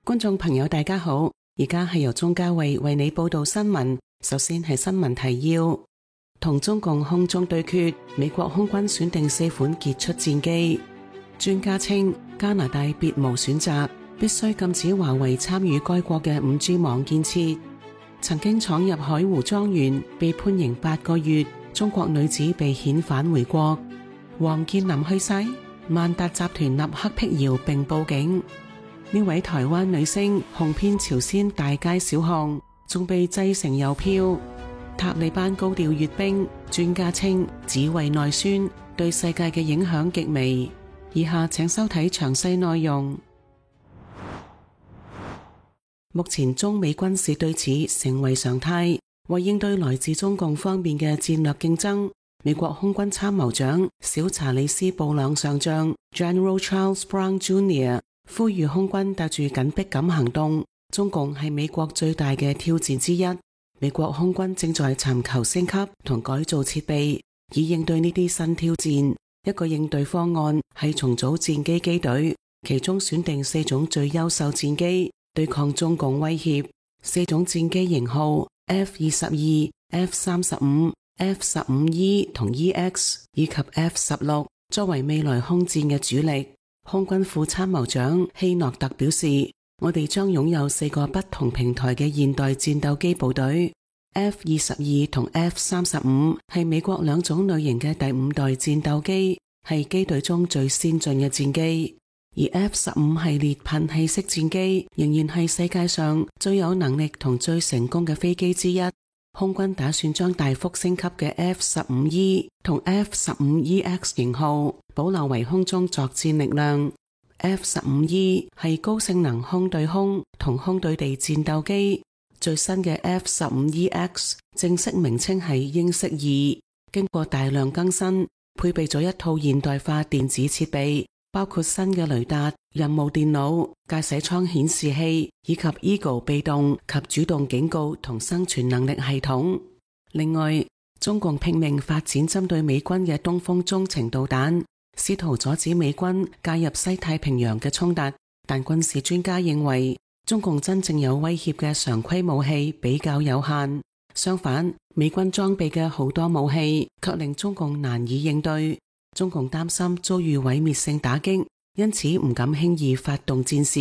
觀眾朋友大家好，而家係由鍾嘉慧為你報道新聞。首先係新聞提要：同中共空中對決，美國空軍選定4款傑出戰機。專家稱加拿大別無選擇，必須禁止華為參與該國嘅 5G 網建設。曾經闖入海湖莊園被判刑8個月，中國女子被遣返回國。王健林去世，萬達集團立刻闢謠並報警。呢位台灣女星紅遍朝鮮大街小巷，仲被製成郵票。塔利班高調閱兵，專家稱只為內宣，對世界嘅影響極微。以下請收睇詳細內容。目前中美軍事對峙成為常態，為應對來自中共方面嘅戰略競爭，美國空軍參謀長小查理斯布朗上將 General Charles Brown Jr. 呼籲空軍帶住緊迫感行動，中共係美國最大嘅挑戰之一。美國空軍正在尋求升級同改造設備，以應對呢啲新挑戰。一個應對方案係重組戰機機隊，其中選定4種最優秀戰機，對抗中共威脅。4種戰機型號 F-22、F-35、F-15E 同 EX 以及 F-16，作為未來空戰嘅主力。空軍副參謀長希諾特表示，我哋將擁有4個不同平台嘅現代戰鬥機部隊。F-22同 F-35係美國兩種類型嘅第5代戰鬥機，係機隊中最先進嘅戰機。而 F-15系列噴氣式戰機仍然係世界上最有能力同最成功嘅飛機之一。空軍打算將大幅升級嘅 F-15E 同 F-15EX 型號保留為空中作戰力量。F-15E 係高性能空對空同空對地戰鬥機。最新嘅 F-15EX 正式名稱係鷹式2，經過大量更新，配備咗一套現代化電子設備，包括新嘅雷達、任務電腦、駕駛艙顯示器以及 Eagle 被動及主動警告同生存能力系統。另外，中共拼命發展針對美軍嘅東風中程導彈，試圖阻止美軍介入西太平洋嘅衝突。但軍事專家認為，中共真正有威脅嘅常規武器比較有限，相反，美軍裝備嘅好多武器卻令中共難以應對。中共擔心遭遇毀滅性打擊，因此唔敢輕易發動戰事。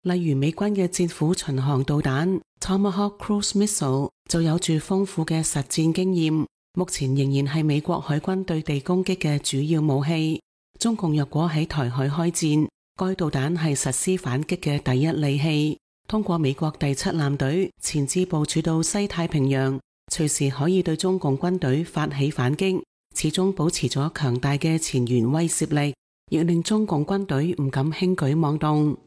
例如美軍嘅戰斧巡航導彈 Tomahawk Cruise Missile 就有住豐富嘅實戰經驗，目前仍然係美國海軍對地攻擊嘅主要武器。中共若果喺台海開戰，該導彈係實施反擊嘅第一利器，通過美國第7艦隊前置部署到西太平洋，隨時可以對中共軍隊發起反擊，始終保持咗強大嘅前沿威懾力，亦令中共軍隊唔敢輕舉妄動。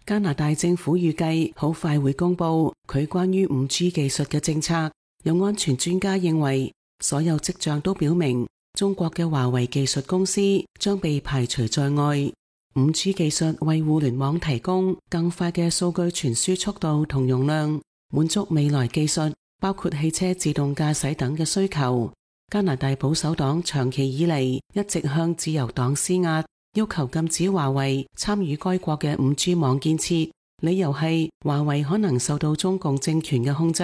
加拿大政府預計好快會公布佢關於 5G 技術嘅政策，有安全專家認為，所有跡象都表明中國嘅華為技術公司將被排除在外。5G 技術為互聯網提供更快嘅數據傳輸速度同容量，滿足未來技術包括汽車自動駕駛等嘅需求。加拿大保守黨長期以嚟一直向自由黨施壓，要求禁止華為參與該國嘅 5G 網建設，理由係華為可能受到中共政權嘅控制，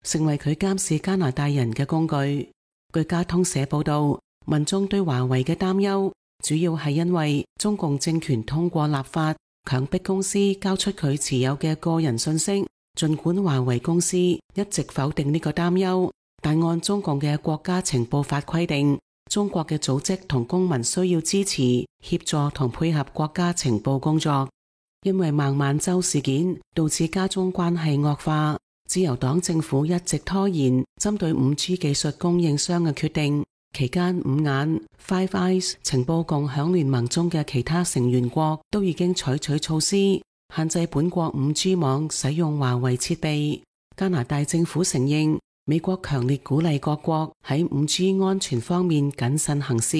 成為佢監視加拿大人嘅工具。據加通社報道，民眾對華為嘅擔憂主要係因為中共政權通過立法強迫公司交出佢持有嘅個人信息，儘管華為公司一直否定呢個擔憂，但按中共嘅國家情報法規定，中國嘅組織同公民需要支持、協助同配合國家情報工作。因為孟晚舟事件導致加中關係惡化，自由黨政府一直拖延針對 5G 技術供應商嘅決定。期間5眼 Five Eyes 情報共享聯盟中嘅其他成員國都已經採取措施，限制本國 5G 網使用華為設備。加拿大政府承認，美國強烈鼓勵各國喺 5G 安全方面謹慎行事。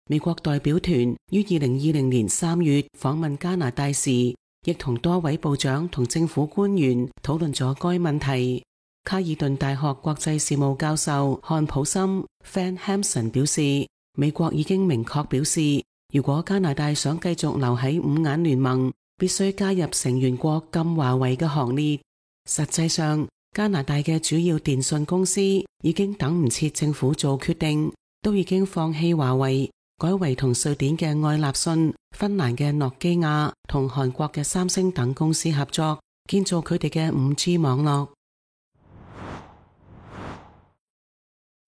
美國代表團於2020年3月訪問加拿大時，亦同多位部長同政府官員討論咗該問題。卡爾頓大學國際事務教授漢普森 Van Hampson 表示，美國已經明確表示，如果加拿大想繼續留喺五眼聯盟，必須加入成員國禁華為嘅行列。實際上，加拿大嘅主要電信公司已經等唔切政府做決定，都已經放棄華為，改為同瑞典嘅愛立信、芬蘭嘅諾基亞同韓國嘅三星等公司合作，建造佢哋嘅 5G 網絡。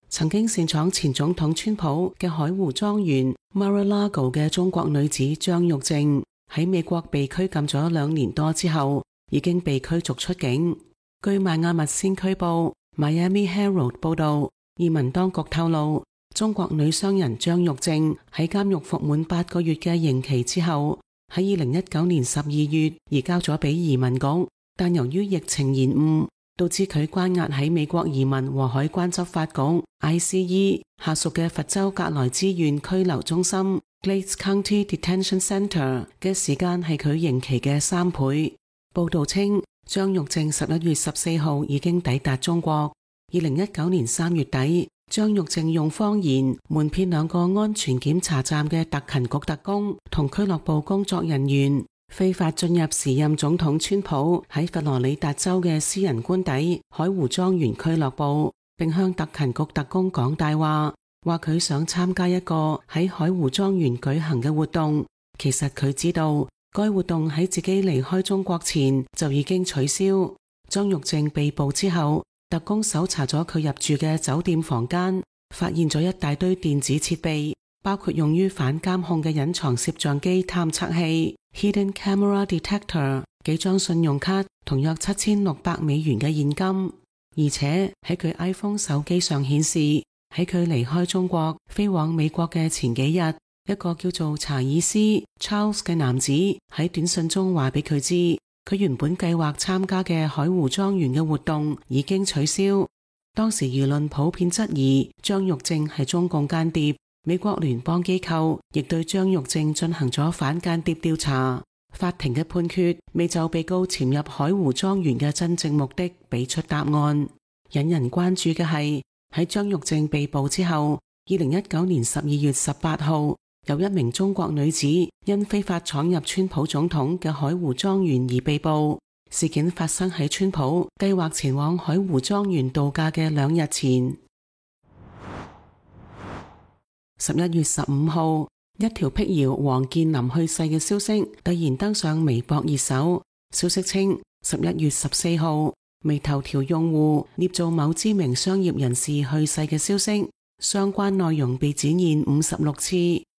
曾經擅闖前總統川普嘅海湖莊園 Mar-a-Lago 嘅中國女子張玉靜喺美國被拘禁咗2年多之後，已經被驅逐出境。據邁阿密先驅報 Miami Herald 報道，移民當局透露，中國女商人張玉靜喺監獄服滿8個月嘅刑期之後，喺2019年12月移交咗俾移民局，但由於疫情延誤，導致佢關押喺美國移民和海關執法局 ICE 下屬嘅佛州格萊茲縣拘留中心 Glades County Detention Center 嘅時間係佢刑期嘅3倍。報道稱，張玉靜11月14號已經抵達中國。2019年3月底，張玉靜用謊言瞞騙2個安全檢查站嘅特勤局特工同俱樂部工作人員，非法進入時任總統川普喺佛羅里達州嘅私人官邸海湖莊園俱樂部，並向特勤局特工講大話，話佢想參加一個喺海湖莊園舉行嘅活動。其實佢知道該活動喺自己離開中國前就已經取消。張玉靜被捕之後，特工搜查咗佢入住嘅酒店房間，發現咗一大堆電子設備，包括用於反監控嘅隱藏攝像機探測器 Hidden Camera Detector、幾張信用卡同約7600美元嘅現金。而且喺佢 iPhone 手機上顯示，喺佢離開中國飛往美國嘅前幾日，一個叫做查爾斯 Charles 嘅男子喺短信中話俾佢知，佢原本計劃參加嘅海湖莊園嘅活動已經取消。當時輿論普遍質疑張玉靜係中共間諜，美國聯邦機構亦對張玉靜進行咗反間諜調查。法庭嘅判決未就被告潛入海湖莊園嘅真正目的俾出答案。引人關注嘅係，喺張玉靜被捕之後，2019年12月18號，有一名中國女子因非法闖入川普總統嘅海湖莊園而被捕。事件發生喺川普計劃前往海湖莊園度假嘅2日前。11月15號，一條闢謠王健林去世嘅消息突然登上微博熱搜。消息稱，11月14號，微頭條用戶捏造某知名商業人士去世嘅消息，相關內容被展現56次，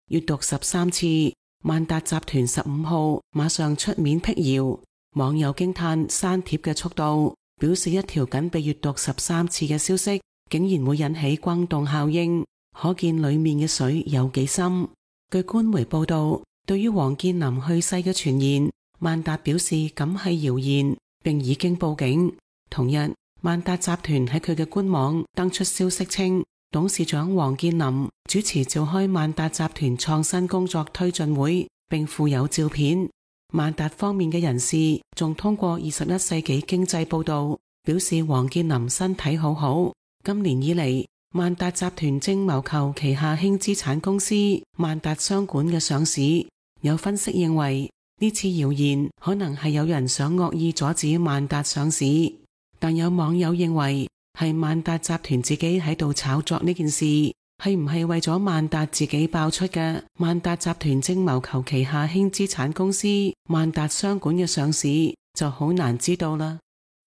閱讀13次。萬達集團15號馬上出面闢謠，網友驚嘆刪帖嘅速度，表示一條僅被閱讀13次嘅消息，竟然會引起轟動效應，可見裏面嘅水有幾深。據官媒報道，對於王健林去世嘅傳言，萬達表示咁係謠言，並已經報警。同日，萬達集團喺佢嘅官網登出消息稱，董事長王健林主持召開萬達集團創新工作推進會，並附有照片。萬達方面嘅人士仲通過21世紀經濟報道，表示王健林身體好好。今年以嚟，萬達集團正謀求旗下輕資產公司萬達商管嘅上市。有分析認為，呢次謠言可能係有人想惡意阻止萬達上市，但有網友認為係萬達集團自己喺度炒作呢件事，係唔係為咗萬達自己爆出嘅萬達集團正謀求旗下輕資產公司萬達商管嘅上市，就好難知道啦。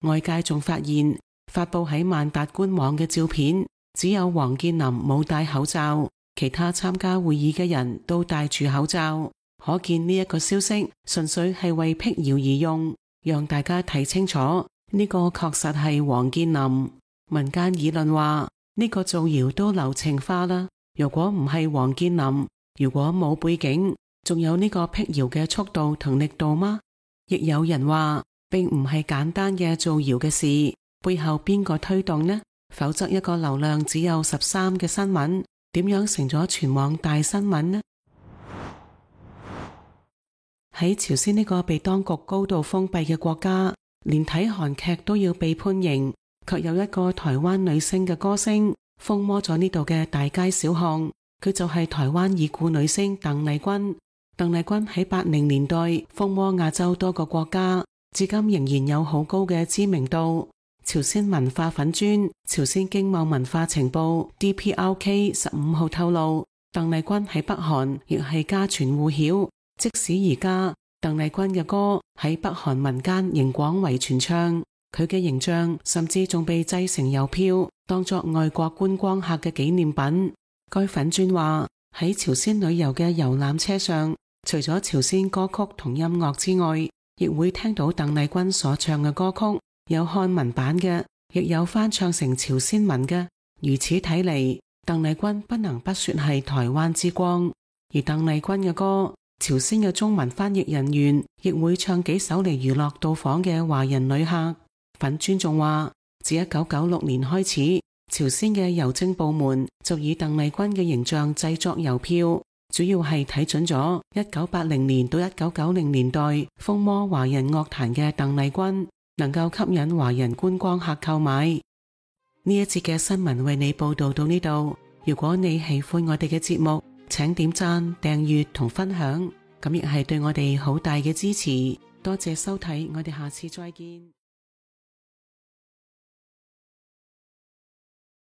外界仲發現發布喺萬達官網嘅照片，只有王健林冇戴口罩，其他參加會議嘅人都戴住口罩，可見呢一個消息純粹係為闢謠而用，讓大家睇清楚呢個確實係王健林。民間議論話呢個造謠都流程化啦，如果唔係王健林，如果冇背景，仲有呢個闢謠嘅速度同力度嗎？亦有人話並唔係簡單嘅造謠嘅事，背後邊個推動呢？否則一個流量只有13嘅新聞，點樣成咗全網大新聞呢？喺朝鮮呢個被當局高度封閉嘅國家，連睇韓劇都要被判刑，卻有一個台灣女星嘅歌聲瘋魔咗呢度嘅大街小巷。佢就係台灣已故女星鄧麗君。鄧麗君喺80年代風靡亞洲多個國家，至今仍然有好高嘅知名度。朝鮮文化粉專朝鮮經貿文化情報 DPRK 15號透露，鄧麗君喺北韓亦係家傳戶曉，即使而家鄧麗君嘅歌喺北韓民間仍廣為傳唱，佢嘅形象甚至仲被製成郵票，當作外國觀光客嘅紀念品。該粉專話，喺朝鮮旅遊嘅遊覽車上，除咗朝鮮歌曲同音樂之外，亦會聽到鄧麗君所唱嘅歌曲，有漢文版嘅，亦有翻唱成朝鮮文嘅。如此睇嚟，鄧麗君不能不說係台灣之光。而鄧麗君嘅歌，朝鮮嘅中文翻譯人員亦會唱幾首嚟娛樂到訪嘅華人旅客。粉專仲話，自1996年開始，朝鮮嘅郵政部門就以鄧麗君嘅形象製作郵票，主要係睇準咗1980年到1990年代風靡華人樂壇嘅鄧麗君，能夠吸引華人觀光客購買。呢一節嘅新聞為你報道到呢度。如果你喜歡我哋嘅節目，請點讚、訂閱同分享，咁亦係對我哋好大嘅支持。多謝收睇，我哋下次再見。